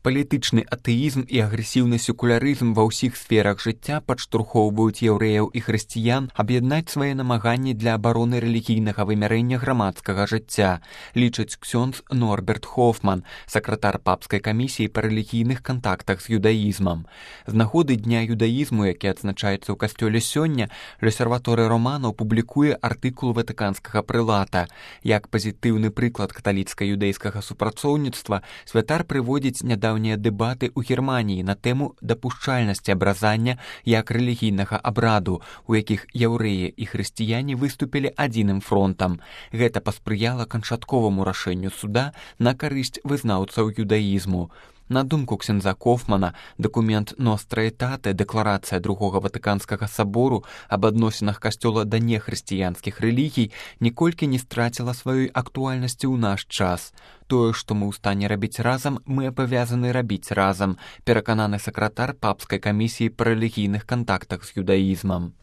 Палітычны атэізм і агрэсіўны секулярызм ва ўсіх сферах жыцця падштурхоўваюць яўрэяў і хрысціян аб'яднаць свае намаганні для абароны рэлігійнага вымярэння грамадскага жыцця, лічыць ксёндз Норберт Хофман, сакратар папскай камісіі па рэлігійных кантактах з юдаізмам. З нагоды дня юдаізму, які адзначаецца ў касцёле сёння, Лёсерваторы Романаў публікуе артыкул ватыканскага прылата. Як пазітыўны прыклад каталіцка-юдэйскага супрацоўніцтва, святар прыводзіць нядаўнія дэбаты ў Германіі на тэму дапушчальнасці абразання як рэлігійнага абраду, у якіх яўрэі і хрысціяне выступілі адзіным фронтам. Гэта паспрыяла канчатковаму рашэнню суда на карысць вызнаўцаў юдаізму. На думку ксяндза Хофмана, дакумент Ностра Этате, дэкларацыя Другога Ватыканскага сабору аб адносінах касцёла да нехрысціянскіх рэлігій, ніколькі не страціла сваёй актуальнасці ў наш час. Тое, што мы ў стане рабіць разам, мы абавязаны рабіць разам, перакананы сакратар папскай камісіі па рэлігійных кантактах з юдаізмам.